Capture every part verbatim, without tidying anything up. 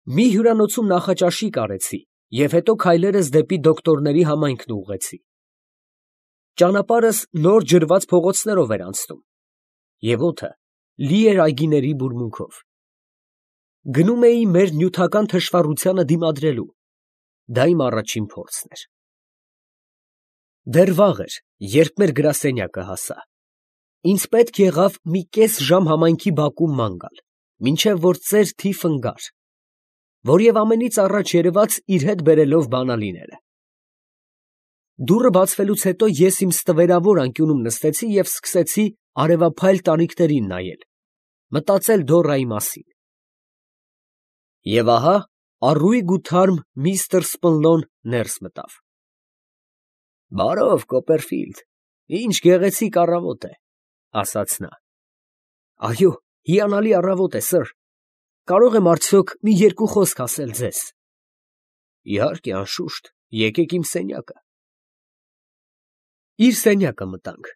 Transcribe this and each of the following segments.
Մի հյուրանոցում նախաճաշի կարեցի և հետո քայլերս դեպի դոկտորների համայնքն ուղղեցի. ճանապարհս նոր ջրված փողոցներով էր անցնում, և օդը լի էր այգիների բուրմունքով. գնում էի մեր նյութական թշվառությանը դիմադրելու, դա իմ առաջին փորձն էր։ Դեռ վաղ էր, երբ մեր գրասենյակը հասա, ինձ պետք եղավ մի կես ժամ համայնքի բակում ման գալ, մինչև որ ծեր թիֆն գար, որ և ամենից առաջ երևաց իր հետ բերելով բանալիները։ Դուռը բացվելուց հետո ես իմ ստվերավոր անկյունում նստեցի և սկսեցի արևափայլ տանիքներին նայել, մտածել Դորայի մասին։ Եվ ահա առույգ ու թարմ միստր Սպնլոն ներս մտավ։ ֊ Բարով, Կոպերֆիլդ, ի՜նչ գեղեցիկ առավոտ է, ֊ ասաց նա։ ֊ Այո, հիանալի առավոտ է, սըր, կարող եմ արդյոք մի երկու խոսք ասել ձեզ։ ֊ Իհարկե, անշուշտ, եկեք իմ սենյակը։ Իր սենյակը մտանք,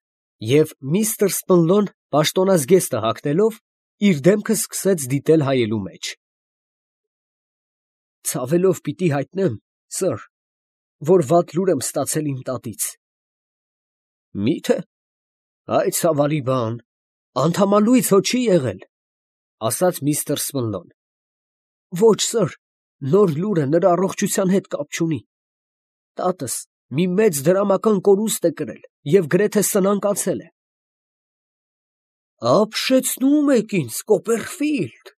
և միստր Սպնլոն պաշտոնազգեստը հագնելով, իր դեմքը սկսեց դիտել հայելու մեջ։ ֊ Ցավելով պիտի հայտնեմ, սըր, որ վատ լուր եմ ստացել իմ տատից։ ֊ Մի՞թե, այ ցավալի բան, անդամալույց հո չի եղել, ֊ ասաց միստր Սպնլոն։ ֊ Ոչ, սըր, նոր լուրը նրա առողջության հետ կապ չունի. տատս մի մեծ դրամական կորուստ է կրել և գրեթե սնանկացել է։ ֊ Ապշեցնում եք ինձ, Կոպերֆիլդ, ֊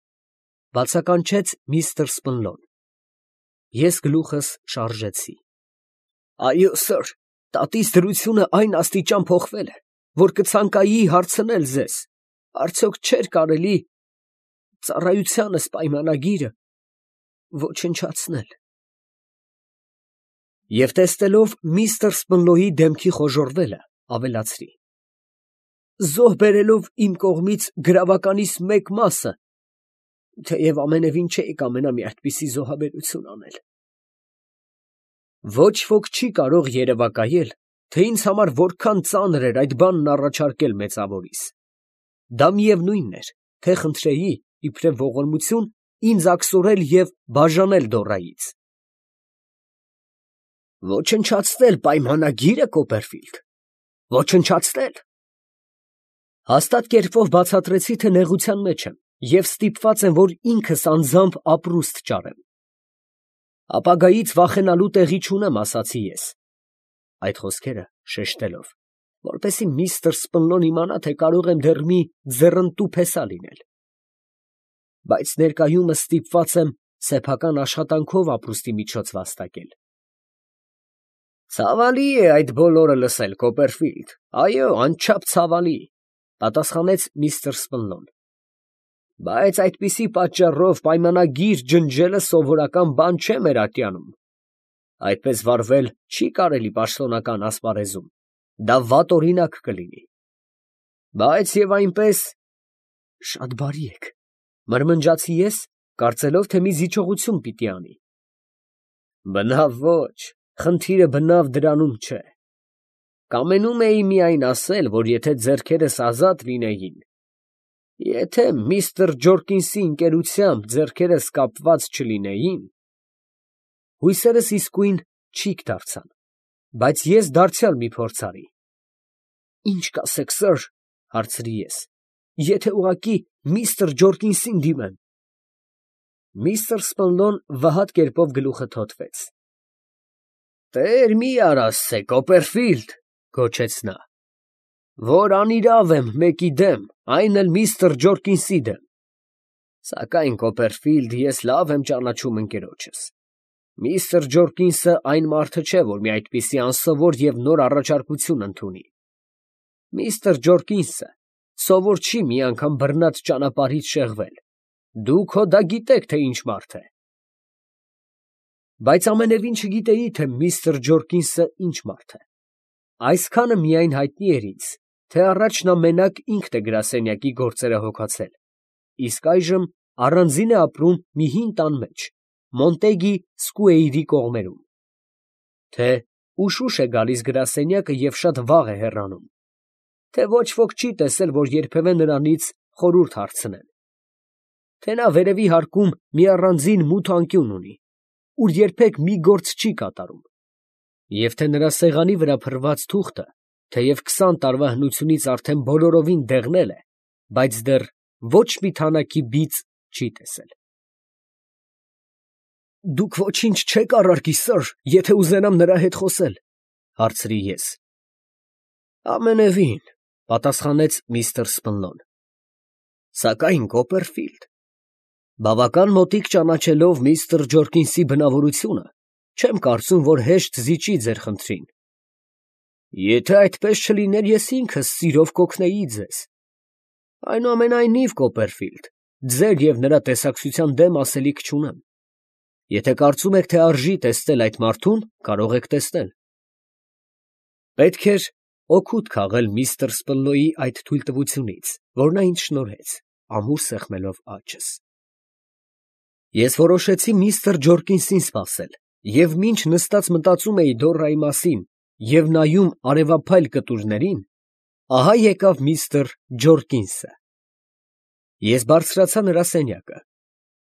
բացականչեց միստր Սպնլոն։ Ես գլուխս շարժեցի։ ֊ Այո, սըր, տատիս դրությունը այն աստիճան փոխվել է, որ կցանկայի հարցնել ձեզ, արդյոք չէր կարելի ծառայությանս պայմանագիրը ոչնչացնել։ Եվ տեսնելով միստր Սպնլոյի դեմքի խոժոռվելը, ավելացրի. զոհ բերելով իմ կողմից գրավականիս մեկ մասը, թեև ամենևին չէի կամենա մի այդպիսի զոհաբերություն անել։ Ոչ ոք չի կարող երևակայել, թե ինձ համար որքան ծանր էր այդ բանն առաջարկել մեծավորիս. դա միևնույնն էր, թե խնդրեի, իբրև ողորմություն, ինձ աքսորել և բաժանել Դորայից։ Ոչնչացնել պայմանագի՞րը, Կոպերֆիլդ, ոչնչացնել։ Հաստատ կերպով բացատրեցի, թե նեղության մեջ եմ և ստիպված եմ, որ ինքս անձամբ ապրուստ ճարեմ։ Ապագայից վախենալու տեղի չունեմ, ասացի ես, այդ խոսքերը շեշտելով, որպեսզի միստր Սպնլոն իմանա, թե կարող եմ դեռ մի ձեռնտու փեսա լինել։ Բայց ներկայումս ստիպված եմ սեփական աշխատանքով ապրուստի միջոց վաստակել։ Ցավալի է այդ բոլորը լսել, Կոպերֆիլդ, այո, անչափ ցավալի, ֊ պատասխանեց միստր Սպնլոն։ Բայց այդպիսի պատճառով պայմանագիր ջնջելը սովորական բան չէ մեր ատյանում. այդպես վարվել չի կարելի պաշտոնական ասպարեզում, դա վատ օրինակ կլինի։ Բայց և այնպես… շատ բարի եք, ֊ մրմնջացի ես, կարծելով, թե մի զիջողություն պիտի անի։ Բնավ ոչ, խնդիրը բնավ դրանում չէ։ Կամենում էի միայն ասել, որ եթե ձեռքերս ազատ լինեին, եթե միստր Ջորկինսի ընկերությամբ ձեռքերս կապված չլինեին… Հույսերս իսկույն չիք դարձան, բայց ես դարձյալ մի փորձ արի։ Ի՞նչ կասեք, սըր, ֊ հարցրի ես, ֊ եթե ուղղակի միստր Ջորկինսին դիմեմ։ Միստր Սպնլոն վհատ կերպով գլուխը թոթվեց։ Տեր մի արասցե, Կոպերֆիլդ, ֊ գոչեց նա, ֊ որ անիրավ եմ մեկի դեմ, այն էլ միստր Ջորկինսի դեմ։ Սակայն, Կոպերֆիլդ, ես լավ եմ ճանաչում ընկերոջս. միստր Ջորկինսը այն մարդը չէ, որ մի այդպիսի անսովոր և նոր առաջարկություն ընդունի։ Միստր Ջորկինսը սովոր չի մի անգամ բռնած ճանապարհից շեղվել, դուք հո դա գիտեք, թե ինչ մարդ է։ Բայց ամենևին չգիտեի, թե միստր Ջորկինսը ինչ մարդ է։ Այսքանը միայն հայտնի էր ինձ, թե առաջ նա մենակ ինքն է գրասենյակի գործերը հոգացել, իսկ այժմ առանձին է ապրում մի հին տան մեջ, Մոնտեգի Սկուեյրի կողմերում, թե ուշ֊ուշ է գալիս գրասենյակը և շատ վաղ է հեռանում, թե ոչ ոք չի տեսել, որ երբևէ նրանից խորհուրդ հարցնեն, թե նա վերևի հարկում մի առանձին մութ անկյուն ունի, ուր երբեք մի գործ չի կատարում, և թե նրա սեղանի վրա փռված թուղթը, թեև քսան տարվա հնությունից արդեն բոլորովին դեղնել է, բայց դեռ ոչ մի թանաքի բիծ չի տեսել։ ֊ Դուք ոչինչ չեք առարկի, սըր, եթե ուզենամ նրա հետ խոսել, ֊ հարցրի ես։ ֊ Ամենևին, ֊ պատասխանեց միստր Սպլոն։ ֊ Սակայն, Կոպերֆիլդ, բավական մոտիկ ճանաչելով միստր Ջորկինսի բնավորությունը, չեմ կարծում, որ հեշտ զիջի ձեր խնդրին։ Եթե այդպես չլիներ, ես ինքս սիրով կօգնեի ձեզ։ Այնուամենայնիվ, Կոպերֆիլդ, ձեր և նրա տեսակցության դեմ ասելիք չունեմ։ Եթե կարծում եք, թե արժի տեսնել այդ մարդուն, կարող եք տեսնել։ Պետք էր օգուտ քաղել միստր Սպլոյի այդ թույլտվությունից, որ նա ինձ շնորհեց, ամուր սեղմելով աչքս։ Ես որոշեցի միստր Ջորկինսին սպասել, և մինչ նստած մտածում էի Դոռայի մասին և նայում արևափայլ կտուրներին, ահա եկավ միստր Ջորկինսը։ Ես բարձրացա նրա սենյակը։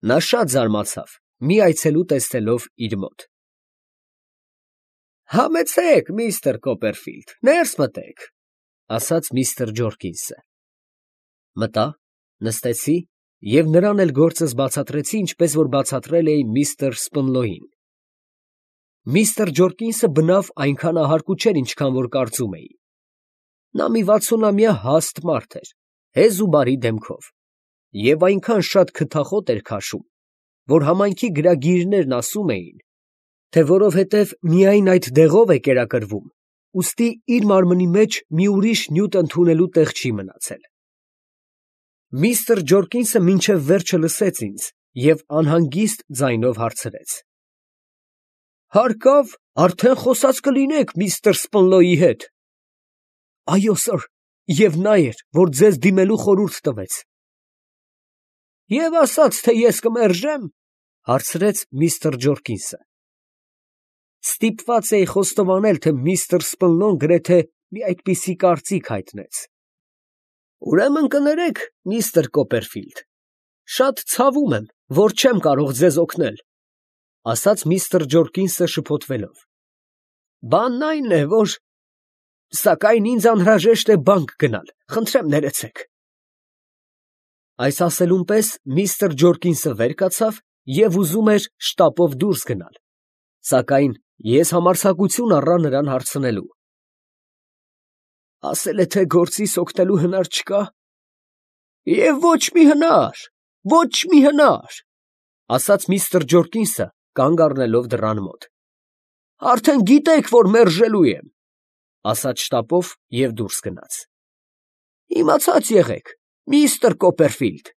Նա շատ զարմացավ, մի այցելու տեսնելով իր մոտ։ ֊ Համեցեք, միստր Կոպերֆիլդ, ներս մտեք, ֊ ասաց միստր Ջորկինսը։ Մտա, նստեցի և նրան էլ գործս բացատրեցի, ինչպես որ բացատրել էի միստր Սպլոյին։ Միստր Ջորկինսը բնավ այնքան ահարկու չէր, ինչքան որ կարծում էի։ Նա մի վաթսունամյա հաստ մարդ էր, հեզ ու բարի դեմքով, և այնքան շատ քթախոտ էր քաշում, որ համայնքի գրագիրներն ասում էին, թե որովհետև միայն այդ դեղով է կերակրվում, ուստի իր մարմնի մեջ մի ուրիշ նյութ ընդունելու տեղ չի մնացել։ Միստր Ջորկինսը մինչև վերջը լսեց ինձ և անհանգիստ ձայնով հարցրեց. ֊ Հարկավ, արդեն խոսած կլինեք միստր Սպլոյի հետ։ ֊ Այո, սըր, և նա էր, որ ձեզ դիմելու խորհուրդ տվեց։ ֊ Եվ ասաց, թե ես կմերժե՞մ, ֊ հարցրեց միստր Ջորկինսը։ Ստիպված էի խոստովանել, թե միստր Սպլոն գրեթե մի այդպիսի կարծիք հայտնեց։ ֊ Ուրեմն կներեք, միստր Կոպերֆիլդ, շատ ցավում եմ, որ չեմ կարող ձեզ օգնել, ֊ ասաց միստր Ջորկինսը շփոթվելով։ ֊ Բանն այն է, որ… Սակայն ինձ անհրաժեշտ է բանկ գնալ, խնդրեմ ներեցեք։ Այս ասելուն պես միստր Ջորկինսը վեր կացավ և ուզում էր շտապով դուրս գնալ, սակայն ես համարձակություն առա նրան հարցնելու. ֊ Ասել է, թե գործիս օգնելու հնար չկա։ ֊ Եվ ոչ մի հնար, ոչ մի հնար, ֊ ասաց միստր Ջորկինսը, կանգ առնելով դռան մոտ։ ֊ Արդեն գիտեք, որ մերժելու եմ, ֊ ասաց շտապով և դուրս գնաց։ ֊ Իմացած եղեք, միստր Կոպերֆիլդ, ֊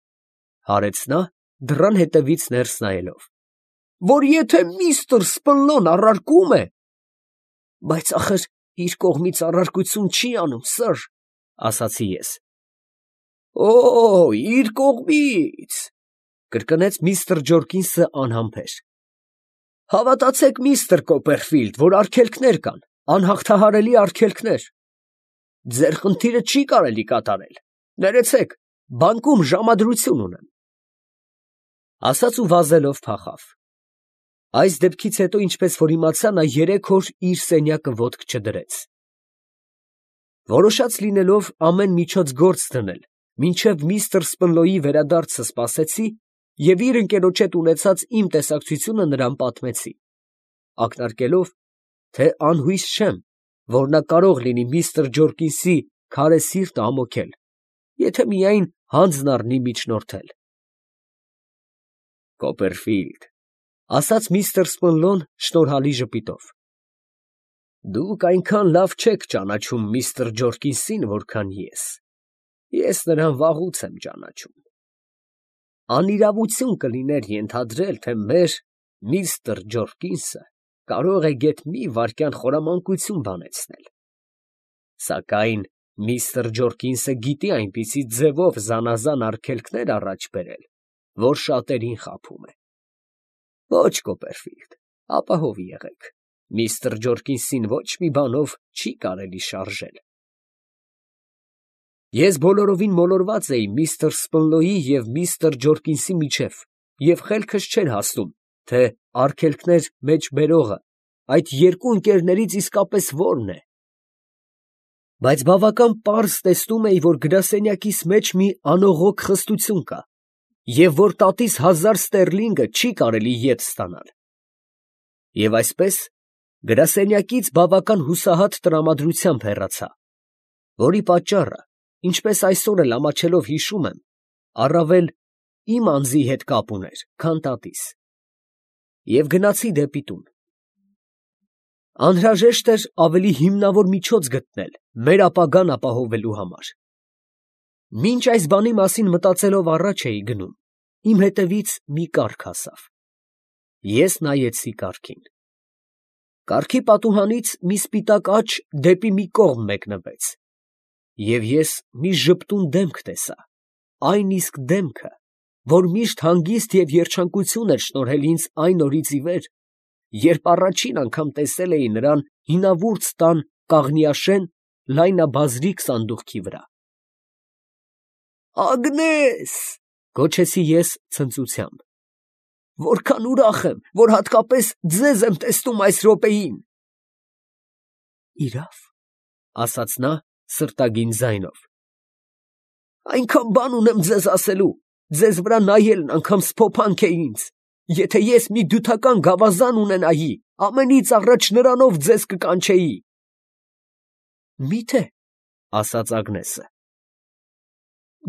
հարեց նա, դռան հետևից ներս նայելով, ֊ որ եթե միստր Սպլոն առարկում է… ֊ Բայց ախր իր կողմից առարկություն չի անում, սըր, ֊ ասացի ես։ ֊ Օ՜, իր կողմից… ֊ կրկնեց միստր Ջորկինսը անհամբեր։ ֊ Հավատացեք, միստր Կոպերֆիլդ, որ արգելքներ կան, անհաղթահարելի արգելքներ… Ձեր խնդիրը չի կարելի կատարել… Ներեցեք, բանկում ժամադրություն ունեմ… Ասաց ու վազելով փախավ։ Այս դեպքից հետո, ինչպես որ իմացա, նա երեք օր իր սենյակը ոտք չդրեց։ Որոշած լինելով ամեն միջոց գործ դնել, մինչև միստր Սպլոյի վերադարձը սպասեցի և իր ընկերոջ հետ ունեցած իմ տեսակցությունը նրան պատմեցի, ակնարկելով, թե անհույս չեմ, որ նա կարող լինի միստր Ջորկինսի քարե սիրտը ամոքել, եթե միայն հանձն առնի միջնորդել։ ֊ Կոպերֆիլդ, ֊ ասաց միստր Սպլոն շնորհալի ժպիտով, ֊ դուք այնքան լավ չեք ճանաչում միստր Ջորկինսին, որքան ես. ես նրան վաղուց եմ ճանաչում… Անիրավություն կլիներ ենթադրել, թե մեր միստր Ջորկինսը կարող է գեթ մի վայրկյան խորամանկություն բանեցնել… Սակայն միստր Ջորկինսը գիտի այնպիսի ձևով զանազան արգելքներ առաջ բերել, որ շատերին խաբում է… Ոչ, Կոպերֆիլդ, ապահով եղեք, միստր Ջորկինսին ոչ մի բանով չի կարելի շարժել… Ես բոլորովին մոլորված էի միստր Սպնլոյի և միստր Ջորկինսի միջև և խելքս չէր հասնում, թե արգելքներ մեջ բերողը այդ երկու ընկերներից իսկապես որն է. բայց բավական պարզ տեսնում էի, որ գրասենյակիս մեջ մի անողոք խստություն կա, և որ տատիս հազար ստերլինգը չի կարելի ետ ստանալ. և այսպես գրասենյակից բավական հուսահատ տրամադրությամբ հեռացա, որի պատճառը, ինչպես այսօր էլ ամաչելով հիշում եմ, առավել իմ անձի հետ կապ ուներ, քան տատիս, և գնացի դեպի տուն. անհրաժեշտ էր ավելի հիմնավոր միջոց գտնել մեր ապագան ապահովելու համար. մինչ այս բանի մասին մտածելով առաջ էի գնում, իմ հետևից մի կառք հասավ. ես նայեցի կառքին. կառքի պատուհանից մի սպիտակ աջ դեպի մի կողմ մեկնվեց, և ես մի ժպտուն դեմք տեսա, այն իսկ դեմքը, որ միշտ հանգիստ և երջանկություն էր շնորհել ինձ այն օրից ի վեր, երբ առաջին անգամ տեսել էի նրան հինավուրց տան կաղնիաշեն լայնաբազրիկ սանդուղքի վրա։ «Ագնես», գոչեցի ես ցնծությամբ, «որքան ուրախ եմ, որ հատկապես ձեզ եմ տեսնում այս րոպեին»։ «Իրավ», ասաց նա սրտագին ձայնով, «այնքան բան ունեմ ձեզ ասելու, ձեզ վրա նայելն անգամ սփոփանք է ինձ. եթե ես մի դյութական գավազան ունենայի, ամենից առաջ նրանով ձեզ կկանչեի»։ «Մի՞թե», ասաց Ագնեսը։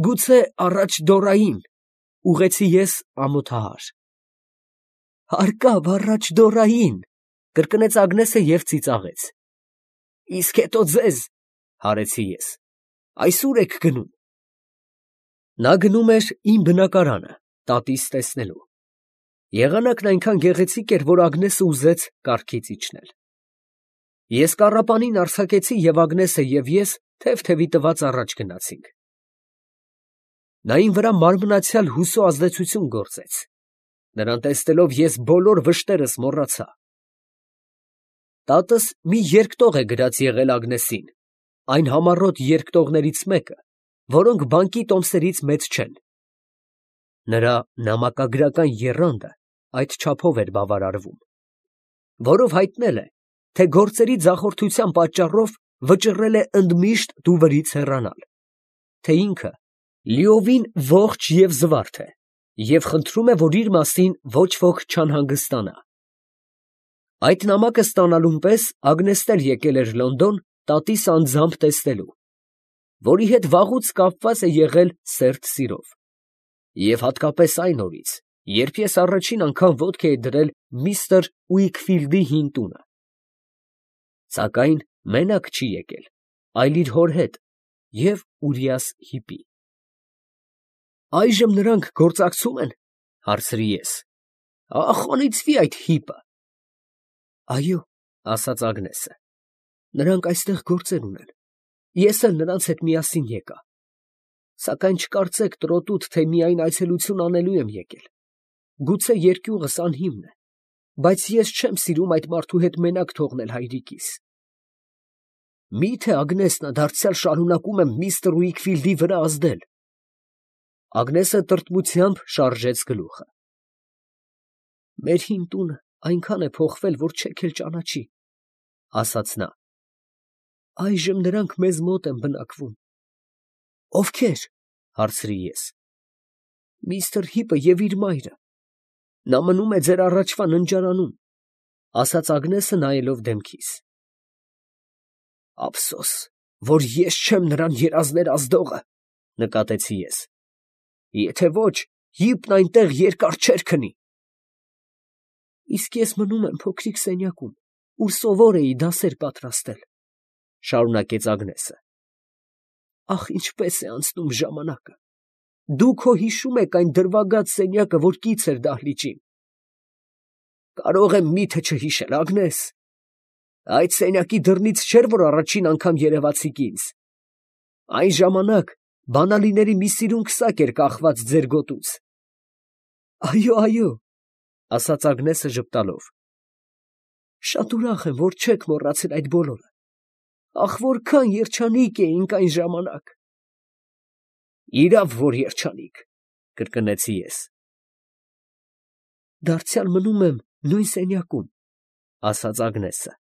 «Գուցե առաջ դոռային», ուղղեցի ես ամոթահար։ «Հարկավ առաջ դոռային», կրկնեց Ագնեսը և ծիծաղեց։ «Իսկ հետո ձեզ», հարեցի ես, «այսո՞ւր եք գնում»։ Նա գնում էր իմ բնակարանը, տատիս տեսնելու։ Եղանակն այնքան գեղեցիկ էր, որ Ագնեսը ուզեց կառքից իջնել։ Ես կառապանին արձակեցի, և Ագնեսը և ես թև֊թևի տված առաջ գնացինք։ Նա իմ վրա մարմնացյալ հուսու ազդեցություն գործեց. նրան տեսնելով ես բոլոր վշտերս մոռացա։ Տատս մի երկտող է գրած եղել Ագնեսին, այն համառոտ երկտողներից մեկը, որոնք բանկի տոմսերից մեծ չեն։ Նրա նամակագրական եռանդը այդչափով էր բավարարվում, որով հայտնել է, թե գործերի ձախորդության պատճառով վճռել է ընդմիշտ դուվրից հեռանալ, թե ինքը լիովին ողջ և զվարթ է, և խնդրում է, որ իր մասին ոչ ոք չանհանգստանա։ Այդ նամակը ստանալուն պես Ագնեսն էլ եկել էր Լոնդոն տատիս անձամբ տեսնելու, որի հետ վաղուց կապված է եղել սերտ սիրով, և հատկապես այն օրից, երբ ես առաջին անգամ ոտք էի դրել միստր Ուիքֆիլդի հին տունը։ Սակայն մենակ չի եկել, այլ իր հոր հետ և Ուրիաս հիպի։ «Այժմ նրանք գործակցում են, ֊ հարցրի ես, ֊ հաղթահարեցվի այդ հիպը»։ «Այո», ֊ ասաց Ագնեսը, ֊ նրանք այստեղ գործեր ունեն, ես էլ նրանց հետ միասին եկա, սակայն չկարծեք տրոտուտ, թե միայն այցելություն անելու եմ եկել, գուցե երկյուղս անհիմն է, բայց ես չեմ սիրում այդ մարդու հետ մենակ թողնել հայրիկիս։ Մի՞թե Ագնեսնը դարձյալ շարունակում է միստր Ուիքֆիլդի վրա ազդել։ Ագնեսը տրտմությամբ շարժեց գլուխը։ «Մեր հին տունը այնքան է փոխվել, որ չեք էլ ճանաչի», ֊ ասաց նա։ «Այժմ նրանք մեզ մոտ են բնակվում»։ «Ովքե՞ր», ֊ հարցրի ես։ «Միստր Հիպը և իր մայրը. նա մնում է ձեր առաջվա ննջարանում», ֊ ասաց Ագնեսը նայելով դեմքիս։ «Ափսոս, որ ես չեմ նրան երազներ ազդողը, ֊ նկատեցի ես, ֊ եթե ոչ, Հիպն այնտեղ երկար չէր քնի»։ «Իսկ ես մնում եմ փոքրիկ սենյակում, ուր սովոր էի դասեր պատրաստել», ֊ շարունակեց Ագնեսը։ «Ախ, ինչպես է անցնում ժամանակը, դուք հո հիշում եք այն դրվագած սենյակը, որ կից էր դահլիճին»։ «Կարող եմ մի՞թե չհիշել, Ագնես, այդ սենյակի դռնից չէր, որ առաջին անգամ երևացիք ինձ։ Այն ժամանակ բանալիների մի սիրուն քսակ էր կախված ձեր գոտուց»։ «Այո, այո», ֊ ասաց Ագնեսը ժպտալով, «շատ ուրախ եմ, որ չեք մոռացել այդ բոլորը։ Ախ, որքան երջանիկ էինք այն ժամանակ»։ Իրավ որ երջանիկ, կրկնեցի ես։ Դարձյալ մնում եմ նույն սենյակում, ասաց Ագնեսը,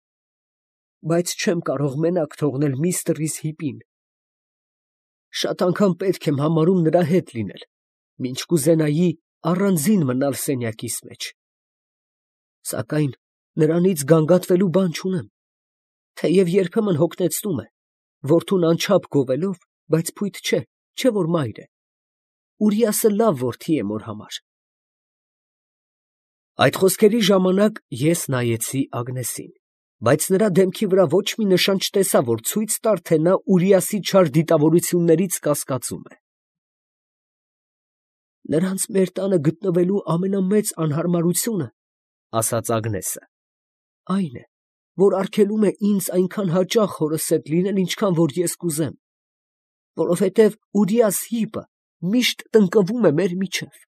բայց չեմ կարող մենակ թողնել միստր Հիպին։ Շատ անգամ պետք եմ համարում նրա հետ լինել, մինչ կուզենայի առանձին մնալ սենյակիս մեջ։ Սակայն նրանից գանգատվելու բան չունեմ, թեև երբեմն հոգնեցնում է, որդուն անչափ գովելով, բայց փույթ չէ, չէ որ մայր է։ Ուրիասը լավ որդի է մոր համար։ Այդ խոսքերի ժամանակ ես նայեցի Ագնեսին, բայց նրա դեմքի վրա ոչ մի նշան չտեսա, որ ցույց տար, թե նա Ուրիասի չար դիտավորություններից կասկածում է։ Նրանց մեր տանը գտնվելու ամենամեծ անհարմարությունը, ասաց Ագնեսը, այն է, որ արգելում է ինձ այնքան հաճախ հորս հետ լինել, ինչքան որ ես կուզեմ, որովհետև Ուրիաս Հիպը միշտ տնկվում է մեր միջև։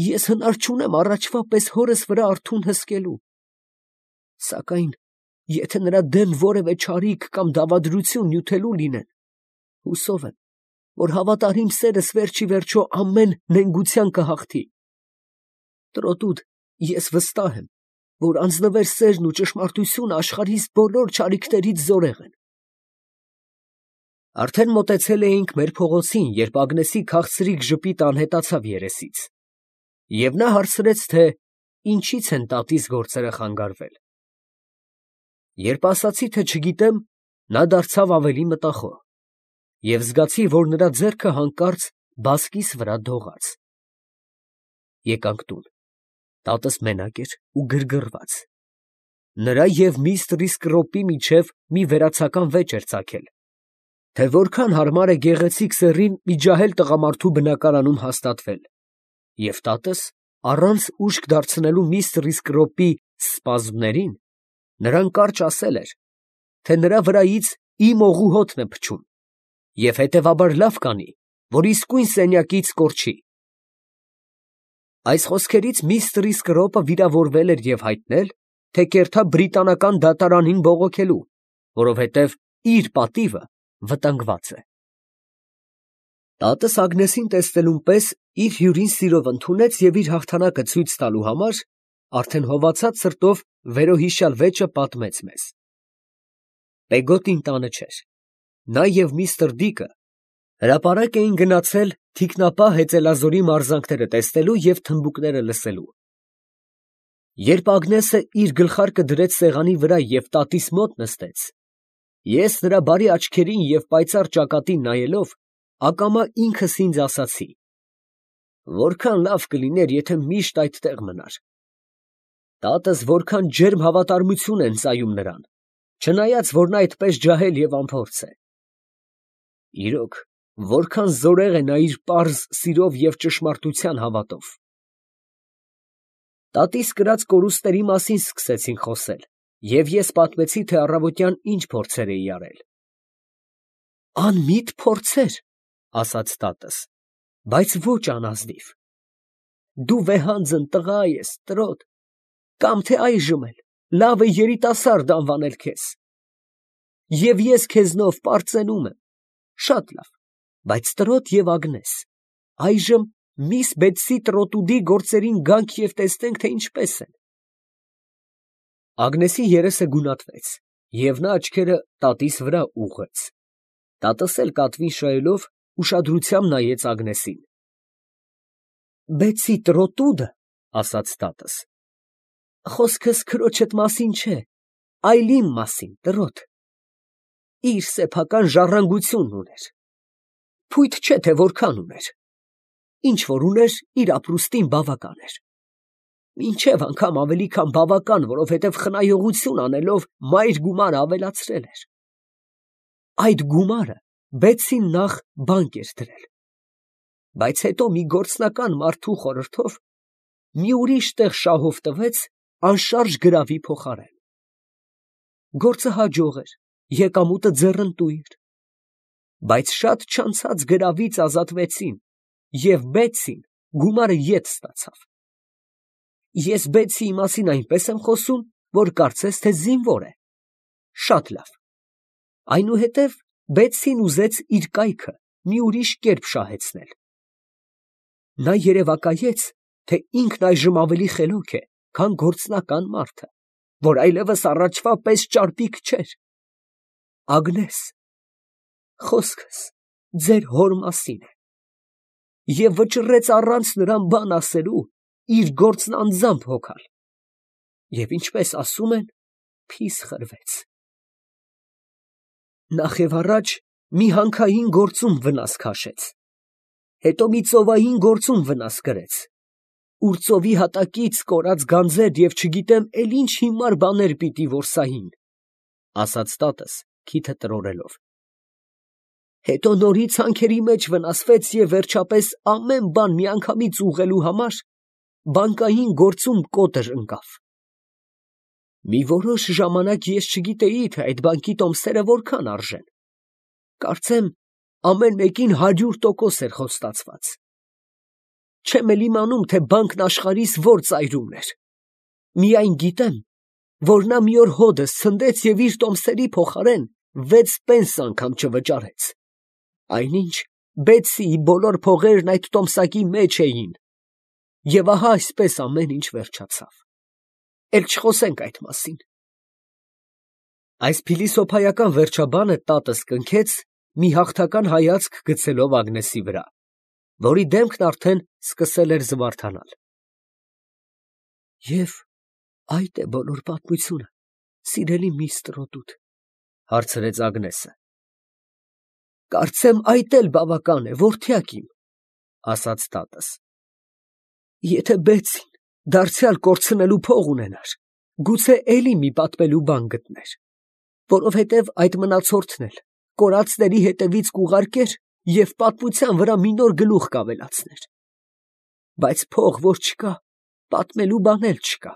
Ես հնար չունեմ առաջվա պես հորս վրա արթուն հսկելու, սակայն եթե նրա դեմ որևէ չարիք կամ դավադրություն նյութելու լինեն, հուսով եմ, որ հավատարիմ սերս վերջի վերջո ամեն նենգության կհաղթի։ Տրոտուդ, ես վստահ եմ, որ անձնվեր սերն ու ճշմարտությունը աշխարհիս բոլոր չարիքներից զորեղ են։ Արդեն մոտեցել էինք մեր փողոցին, երբ Ագնեսի քաղցրիկ ժպիտը անհետացավ երեսից, և նա հարցրեց, թե ինչից են տատիս գործերը խանգարվել։ Երբ ասացի, թե չգիտեմ, նա դարձավ ավելի մտախոհ, և զգացի, որ նրա ձեռքը հանկարծ բասկիս վրա դողաց։ Եկանք տուն, տատս մենակ էր ու գրգռված։ Նրա և միստր Սկրոպի միջև մի վերացական վեճ էր ծագել, թե որքան հարմար է գեղեցիկ սեռին մի ջահել տղամարդու բնակարանում հաստատվել, և տատս, առանց ուշք դարձնելու միստր Սկրոպի սպազմներին, նրան կարճ ասել էր, թե նրա վրայից իմ օղու հոտն է փչում, և հետևաբար լավ կանի, որ իսկույն սենյակից կորչի։ Այս խոսքերից միստր Սկրոպը վիրավորվել էր և հայտնել, թե կերտա բրիտանական դատարանին բողոքելու, որովհետև իր պատիվը վտանգված է։ Տատս Ագնեսին տեսնելուն պես իր հյուրին սիրով ընդունեց և իր հաղթանակը ցույց տալու համար արդեն հովացած սրտով վերոհիշյալ վեճը պատմեց մեզ։ Պեգոտին տանը չէր։ Նա և միստր Դիկը հրապարակ էին գնացել թիկնապահ հեծելազորի մարզանքները տեսնելու և թմբուկները լսելու։ Երբ Ագնեսը իր գլխարկը դրեց սեղանի վրա և տատիս մոտ նստեց, ես նրա բարի աչքերին և պայծառ ճակատին նայելով, ակամա ինքս ինձ ասացի. որքան լավ կլիներ, եթե միշտ այդտեղ մնար։ Տատս որքան ջերմ հավատարմություն է ընծայում նրան, չնայած որ նա այդպես ջահել և անփորձ է։ Իրոք, որքան զորեղ է նա իր պարզ սիրով և ճշմարտության հավատով։ Տատիս կրած կորուստների մասին սկսեցինք խոսել, և ես պատմեցի, թե առավոտյան ինչ փորձեր էի արել։ Անմիտ փորձեր, ասաց տատս, բայց ոչ անազնիվ։ Դու վեհանձն տղա ես, տրոտ, կամ թե այժմ էլ լավ է երիտասարդ անվանել քեզ։ Եվ ես քեզնով պարծենում եմ, շատ լավ, բայց տրոտ և Ագնես, այժմ միս Բեթսի Տրոտուդի գործերին գանք և տեսնենք, թե ինչպես են։ Ագնեսի երեսը գունատվեց, և նա աչքերը տատիս վրա ուղղեց։ Տատս էլ կատվին շահելով ուշադրությամբ նայեց Ագնեսին։ Բեթսի Տրոտուդը, ասաց տատս, խոսքս քրոջդ մասին չէ, այլ իմ մասին, տրոտ, իր սեփական ժառանգությունն ուներ, փույթ չէ, թե որքան ուներ, ինչ որ ուներ, իր ապրուստին բավական էր, մինչև անգամ ավելի քան բավական, որովհետև խնայողություն անելով մայր գումարը ավելացրել էր։ Այդ գումարը Բեթսին նախ բանկ էր դրել, բայց հետո մի գործնական մարդու խորհրդով մի ուրիշ տեղ շահով տվեց անշարժ գրավի փոխարեն։ Գործը հաջող էր, եկամուտը ձեռնտու էր, բայց շատ չանցած գրավից ազատվեցին, և Բեթսին գումարը ետ ստացավ։ Ես Բեթսիի մասին այնպես եմ խոսում, որ կարծես թե զինվոր է։ Շատ լավ։ Այնուհետև Բեթսին ուզեց իր կայքը մի ուրիշ կերպ շահեցնել։ Նա երևակայեց, թե ինքն այժմ ավելի խելոք է, քան գործնական մարդը, որ այլևս առաջվա պես ճարպիկ չէր։ Ագնես, խոսքս ձեր հոր մասին է։ Եվ վճռեց առանց նրան բան ասելու իր գործն անձամբ հոգալ։ Եվ ինչպես ասում են, փիս խրվեց։ Նախ և առաջ մի հանքային գործում վնաս քաշեց, հետո մի ծովային գործում վնաս կրեց, ուր ծովի հատակից կորած գանձեր և չգիտեմ էլ ինչ հիմար բաներ պիտի որսային, ֊ ասաց տատս քիթը տրորելով։ Հետո նորից հանքերի մեջ վնասվեց և վերջապես ամեն բան միանգամից ուղղելու համար բանկային գործում կոտր ընկավ։ Մի որոշ ժամանակ ես չգիտեի, թե այդ բանկի տոմսերը որքան արժեն. կարծեմ ամեն մեկին հարյուր տոկոս էր խոստացված։ Չեմ էլ իմանում, թե բանկն աշխարհիս ո՞ր ծայրումն էր. միայն գիտեմ, որ նա մի օր հոդս ցնդեց և իր տոմսերի փոխարեն վեց պենս անգամ չվճարեց, այնինչ Բեթսիի բոլոր փողերն այդ տոմսակի մեջ էին, և ահա այսպես ամեն ինչ վերջացավ։ Էլ չխոսենք այդ մասին։ Այս փիլիսոփայական վերջաբանը տատս կնքեց, մի հաղթական հայացք գցելով Ագնեսի վրա, որի դեմքն արդեն սկսել էր զվարթանալ։ ֊ Եվ այդ է բոլոր պատմությունը, սիրելի միստր Տրոդուտ, ֊ հարցրեց Ագնեսը։ ֊ Կարծեմ այդ էլ բավական է, որդյակ իմ, ֊ ասաց տատս։ Եթե Բեթսին դարձյալ կորցնելու փող ունենար, գուցե էլի մի պատմելու բան գտներ, որովհետև այդ մնացորդն էլ կորածների հետևից կուղարկեր և պատմության վրա մի նոր գլուխ կավելացներ։ Բայց փող որ չկա, պատմելու բան էլ չկա։